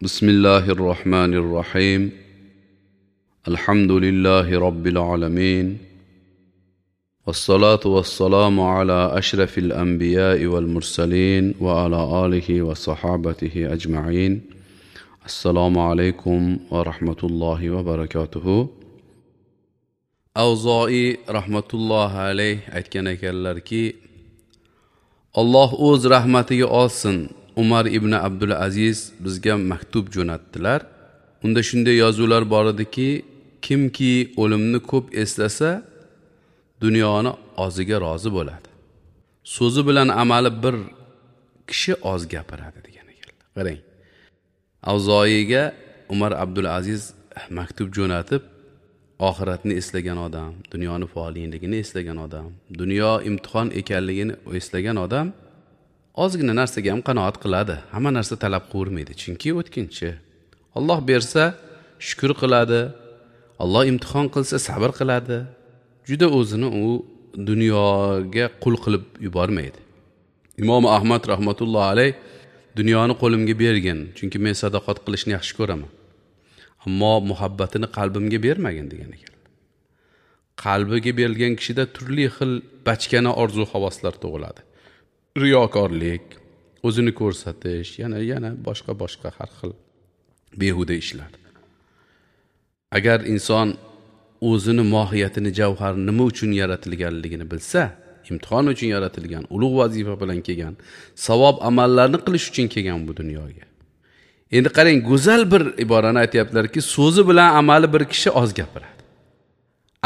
بسم الله الرحمن الرحيم. الحمد لله رب العالمين، والصلاة والسلام على أشرف الأنبياء والمرسلين وعلى آله وصحابته أجمعين. السلام عليكم ورحمة الله وبركاته. Avzoiy rahmatullohi alayh aytgan ekanlarki, Alloh o'z rahmatiga olsin, Umar ibn Abdul Aziz bizga maktub jo'natdilar. Unda shunday yozuvlar bor ediki, kimki o'limni ko'p eslasa, dunyoni oziga rozi bo'ladi. So'zi bilan amali bir kishi oz gapiradi degan ekanlar. Qarang. Avzoiyga Umar Abdul Aziz maktub jo'natib, oxiratni eslagan odam, dunyoni foniyligini eslagan odam, dunyo imtihon ekanligini eslagan odam ozgina narsaga ham qanoat qiladi. Hamma narsa talab qilavermaydi, chunki o'tkinchi. Alloh bersa shukr qiladi, Alloh imtihon qilsa sabr qiladi. Juda o'zini u dunyoga qul qilib yubormaydi. Imom Ahmad rahmatullohi alayh dunyoni qo'limga bergin, chunki men sadoqat qilishni yaxshi ko'raman. Ammo muhabbatini qalbimga bermagin degan ekan. Qalbiga berilgan kishida turli xil bachkana orzu havaslar tug'iladi. Riyokorlik, o'zini ko'rsatish, yana boshqa har xil behuda ishlar. Agar inson o'zini mohiyatini, javharini nima uchun yaratilganligini bilsa, imtihon uchun yaratilgan, ulug' vazifa bilan kelgan, savob amallarni qilish uchun kelgan bu dunyoga. Endi qarang, go'zal bir iborani aytayaptilarki, so'zi bilan amali bir kishi oz gapiradi.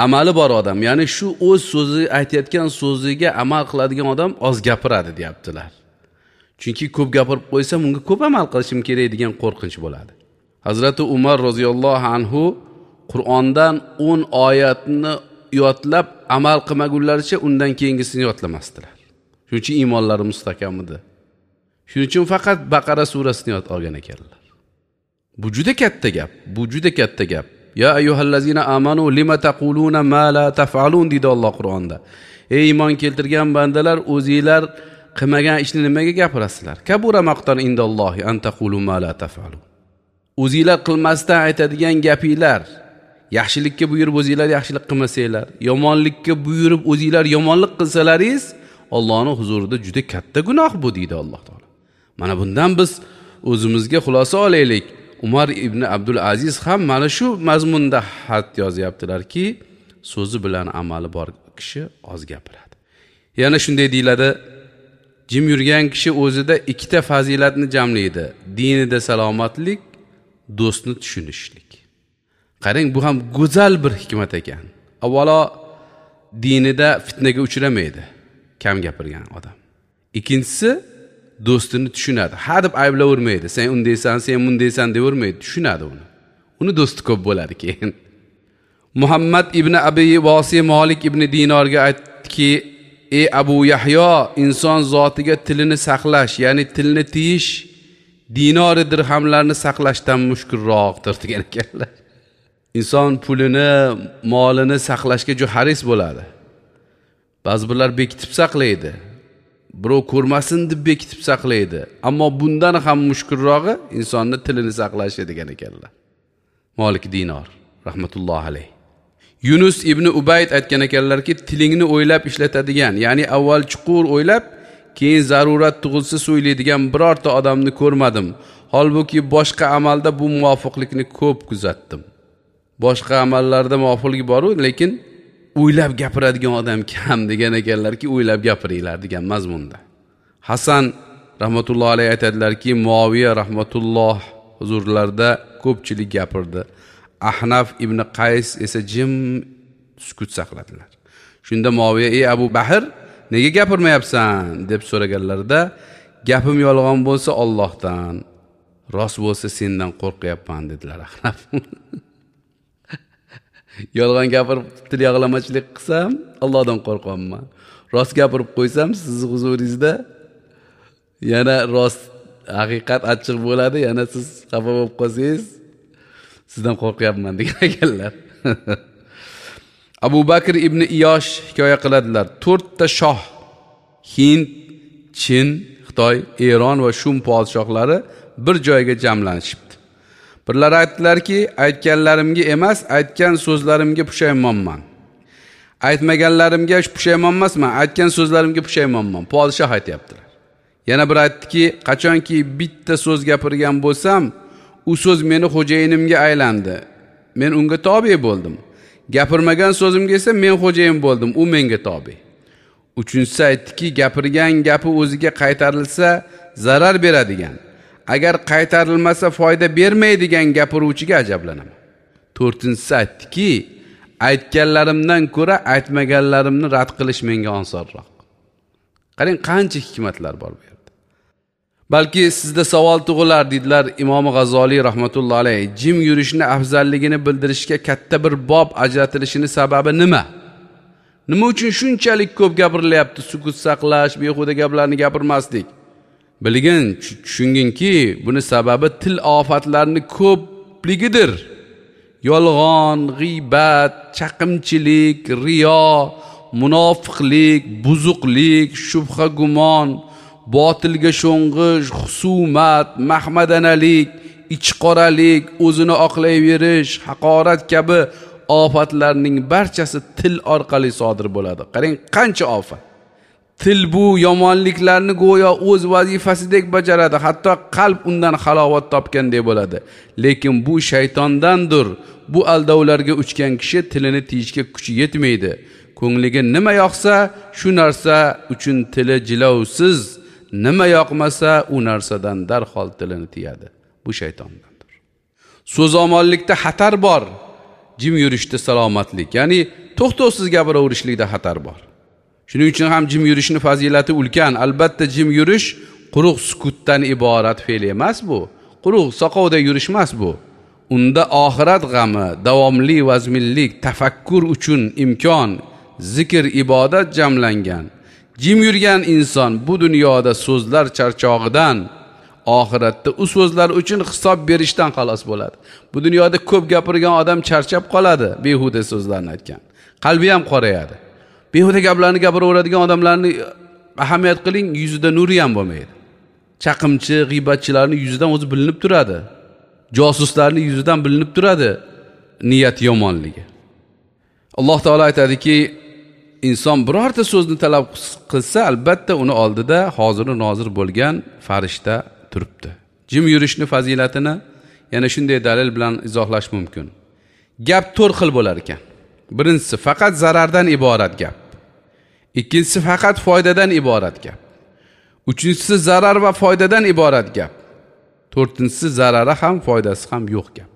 Amali bor odam, ya'ni shu o'z so'zi aytayotgan so'ziga amal qiladigan odam oz gapiradi deyaptilar. Chunki ko'p gapirib qo'ysam, unga ko'p amal qilishim kerak degan qo'rqinch bo'ladi. Hazrati Umar roziyallohu anhu Qur'ondan 10 oyatni yodlab amal qilmagunlaricha undan keyingisini yodlamasdilar. Shuning uchun iymonlari mustahkam edi. Shuning uchun faqat Baqara surasini yod olgan ekanlar. Bu juda katta gap, bu juda katta gap. Ya ayyuhallazina amanu lima taquluna ma la taf'alun deydi Alloh Qur'onda. Ey iymon keltirgan bandalar, o'zinglar qilmagan ishni nimaga gapirasizlar? Kabura maqtan indallohi an taqulu ma la taf'alun. O'zinglar qilmasdan aytadigan gapinglar, yaxshilikka buyurib o'zinglar yaxshilik qilmasanglar, yomonlikka buyurib o'zinglar yomonlik qilsalaringiz, Allohning huzurida juda katta gunoh bu deydi Alloh taolo. Mana bundan biz o'zimizga xulosa olaylik. Umar ibn Abdul Aziz ham mana shu mazmunda xat yozyaptilarki, so'zi bilan amali bor kishi oz gapiradi. Yana shunday deyiladi, jim yurgan kishi o'zida ikkita fazilatni jamlaydi. Dinida salomatlik, do'stni tushunishlik. Qarang, bu ham go'zal bir hikmat ekan. Avvalo dinida fitnaga uchramaydi kam gapirgan odam. Ikkinchisi do'stini tushunadi. Ha deb ayblavermaydi. Sen undaysan, sen bundaysan deyavermaydi, tushunadi uni. Uni do'sti ko'p bo'ladi keyin. Muhammad ibn Abi Vasi Malik ibn Dinorga aytdiki, ey Abu Yahyo, inson zotiga tilini saqlash, ya'ni tilni tiyish dinori dirhamlarni saqlashdan mushkulroqdir degan ekanlar. Inson pulini, molini saqlashga juda haris bo'ladi. Ba'zi birlar bekitib saqlaydi. Birov ko'rmasin deb bekitib saqlaydi. Ammo bundan ham mushkulrog'i insonni tilini saqlashi degan ekanlar. Malik Dinor rahmatullohi alayh. Yunus ibn Ubayd aytgan ekanlarki, tilingni o'ylab ishlatadigan, ya'ni avval chuqur o'ylab, keyin zarurat tug'ilsa so'ylaydigan birorta odamni ko'rmadim. Holbuki boshqa amalda bu muvofiqlikni ko'p kuzatdim. Boshqa amallarda muvofiqlik bor-u, lekin o'ylab gapiradigan odam kam degan ekanlarki, o'ylab gapiringlar degan mazmunda. Hasan rahmatullohi alayhi aytadilarki, Muaviya rahmatulloh huzurlarida ko'pchilik gapirdi. Ahnaf ibn Qays esa jim sukut saqladilar. Shunda Muaviya, ey Abu Bahr, nega gapirmayapsan deb so'raganlarida, gapim yolg'on bo'lsa Allohdan, rost bo'lsa sendan qo'rqyapman dedilar Ahnaf. Yolg'on gapirib til yog'lamachilik qilsam Allohdan qo'rqyapman. Rost gapirib qo'ysam sizni huzuringizda yana rost haqiqat achchiq bo'ladi, yana siz xafa bo'lib qolsangiz sizdan qo'rqyapman degan ekanlar. Abu Bakr ibn Iyosh hikoya qiladilar. 4 ta shoh Hind, Chin, Xitoy, Eron va Shum podshohlari bir joyga jamlanishibdi. Birlar aytdilarki, aytganlarimga emas, aytgan so'zlarimga pushaymonman. Aytmaganlarimga pushaymon emasman, aytgan so'zlarimga pushaymonman. Podshoh aytayaptilar. Yana bir aytdiki, qachonki bitta so'z gapirgan bo'lsam, u so'z meni xo'jayinimga aylandi. Men unga tobe bo'ldim. Gapirmagan so'zimga esa men xo'jayin bo'ldim, u menga tobe. Uchinchisi aytdiki, gapirgan gapi o'ziga qaytarilsa zarar beradigan, agar qaytarilmasa foyda bermaydigan gapiruvchiga ajablanaman. To'rtinchisi aytdiki, aytganlarimdan ko'ra aytmaganlarimni rad qilish menga osonroq. Qarang, qancha hikmatlar bor bu yerda. Balki sizda savol tug'ilar, dedilar Imom G'azoliy rahmatullohi alayhi, jim yurishni afzalligini bildirishga katta bir bob ajratilishining sababi nima? Nima uchun shunchalik ko'p gapirilyapti sukut saqlash, behuda gaplarni gapirmaslik? Bilgin, tushunginki, buni sababi til ofatlarining ko'pligidir. Yolg'on, g'iybat, chaqimchilik, riyo, munofiqlik, buzuqlik, shubha gumon, botilga sho'ng'ish, husumat, mahmadanalik, ichqoralik, o'zini oqlayverish, haqorat kabi ofatlarning barchasi til orqali sodir bo'ladi. Qarang, qancha ofat. Til bu yomonliklarni go'yo o'z vazifasidek bajaradi, hatto qalb undan halovat topgandek bo'ladi. Lekin bu shaytondandir. Bu aldovlarga uchgan kishi tilini tiyishga kuchi yetmaydi. Ko'ngliga nima yoqsa, shu narsa uchun tili jilovsiz, nima yoqmasa, u narsadan darhol tilini tiyadi. Bu shaytondandir. So'zomonlikda xatar bor, jim yurishda salomatlik, ya'ni to'xtovsiz gapiraverishlikda xatar bor. Shuning uchun ham jim yurishning fazilati ulkan. Albatta jim yurish quruq sukutdan iborat fe'l emas bu. Quruq soqovda yurish emas bu. Unda oxirat g'ami, davomli vazminlik, tafakkur uchun imkon, zikr, ibodat jamlangan. Jim yurgan inson bu dunyoda so'zlar charchog'idan, oxiratda u so'zlar uchun hisob berishdan xalos bo'ladi. Bu dunyoda ko'p gapirgan odam charchab qoladi, behuda so'zlarni aytgan. Qalbi ham qorayadi. Behuda gaplarni gapiraveradigan odamlarni ahamiyat qiling, yuzida nuri ham bo'lmaydi. Chaqimchi, g'iybatchilarning yuzidan o'zi bilinib turadi. Josuslarning yuzidan bilinib turadi niyat yomonligi. Alloh taolo aytadiki, inson birorta so'zni talab qilsa, albatta uni oldida hozir nozir bo'lgan farishta turibdi. Jim yurishni fazilatini yana shunday dalil bilan izohlash mumkin. Gap to'rt xil bo'lar ekan. Birinchisi faqat zarardan iborat gap. Ikkinchisi faqat foydadan iborat gap. Uchinchisi zarar va foydadan iborat gap. To'rtinchisi zarari ham foydasi ham yo'q gap.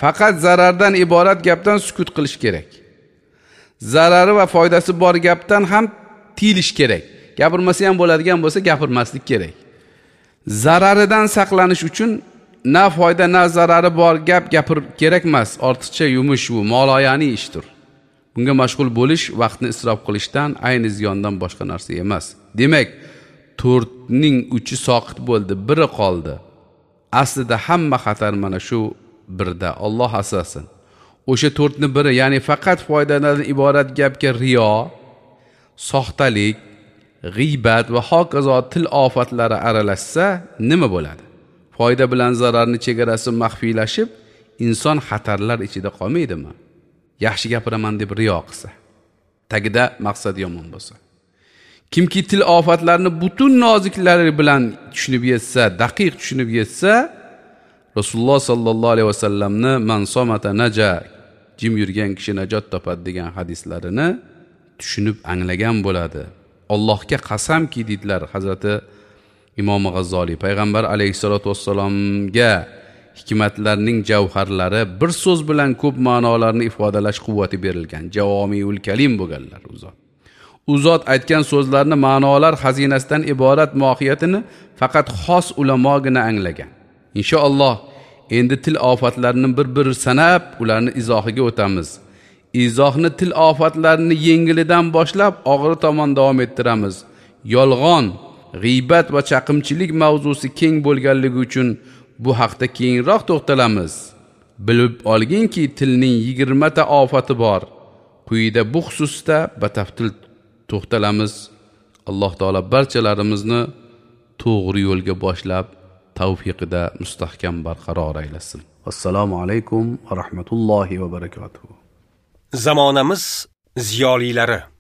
Faqat zarardan iborat gapdan sukut qilish kerak. Zarari va foydasi bor gapdan ham tiyilish kerak. Gapirmasa ham bo'ladigan bo'lsa gapirmaslik kerak. Zararidan saqlanish uchun na foyda na zarari bor gap gapir kerak emas. Ortiqcha yumush bu moloyani ishdir. Bunga mashg'ul bo'lish vaqtni isrof qilishdan, ayni ziyondan boshqa narsa emas. Demak, 4ning 3 soqit bo'ldi, biri qoldi. Aslida hamma xatar mana shu birda. Alloh asrasin. O'sha 4ni biri, ya'ni faqat foydadan iborat gapga riyo, soxtalik, g'iybat va hokazo til ofatlari aralashsa nima bo'ladi? Foyda bilan zararni chegarasi maxfiylashib, inson xatarlar ichida qolmaydimi? Yaxshi gapiraman deb riyo qilsa, tagida maqsad yomon bo'lsa. Kimki til ofatlarini butun noziklari bilan tushunib yetsa, daqiq tushunib yetsa, Rasululloh sallallohu alayhi vasallamni man somata naja, jim yurgan kishi najot topadi degan hadislarini tushunib anglagan bo'ladi. Allohga qasamki dedilar Hazrati Imom G'azzoliy, payg'ambar alayhissalatu vassalomga hikmatlarning javharlari bir so'z bilan ko'p ma'nolarni ifodalash quvvati berilgan. Javomiul kalim bo'lganlar u zot. U zot aytgan so'zlarni ma'nolar xazinasidan iborat mohiyatini faqat xos ulamogina anglagan. Inshaalloh endi til ofatlarini bir-bir sanab, ularni izohiga o'tamiz. Izohni til ofatlarini yengilidan boshlab og'iri tomon davom ettiramiz. Yolg'on, g'iybat va chaqimchilik mavzusi keng bo'lganligi uchun bu haqda keyinroq to'xtalamiz. Bilib olginki, tilning 20 ta ofati bor. Quyida bu xususda batafsil to'xtalamiz. Alloh taolo barchalarimizni to'g'ri yo'lga boshlab, tavfiqida mustahkam barqaror aylasin. Assalomu alaykum va rahmatullohi va barakatuh. Zamonamiz ziyolilari.